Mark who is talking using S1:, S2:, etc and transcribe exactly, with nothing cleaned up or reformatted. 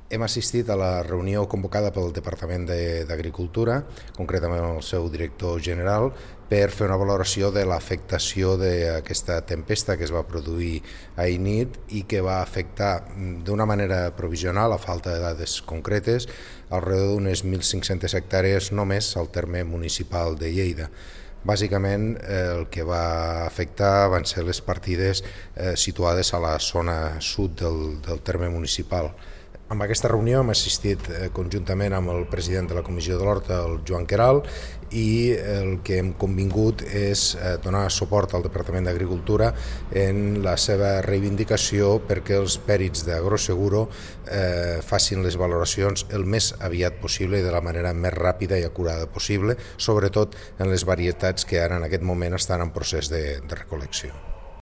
S1: Hem assistit a la reunió convocada pel Departament d'Agricultura, concretament el seu director general, per fer una valoració de l'afectació d'aquesta tempesta que es va produir ahir nit i que va afectar d'una manera provisional, a falta de dades concretes, alrededor d'unes mil cinc-centes hectàrees només al terme municipal de Lleida. Bàsicament el que va afectar van ser les partides eh, situades a la zona sud del, del terme municipal. En aquesta reunió hem assistit conjuntament amb el president de la Comissió de l'Horta, el Joan Queralt, i el que hem convingut és donar suport al Departament d'Agricultura en la seva reivindicació perquè els pèrits d'Agroseguro eh, facin les valoracions el més aviat possible i de la manera més ràpida i acurada possible, sobretot en les varietats que ara en aquest moment estan en procés de, de recol·lecció.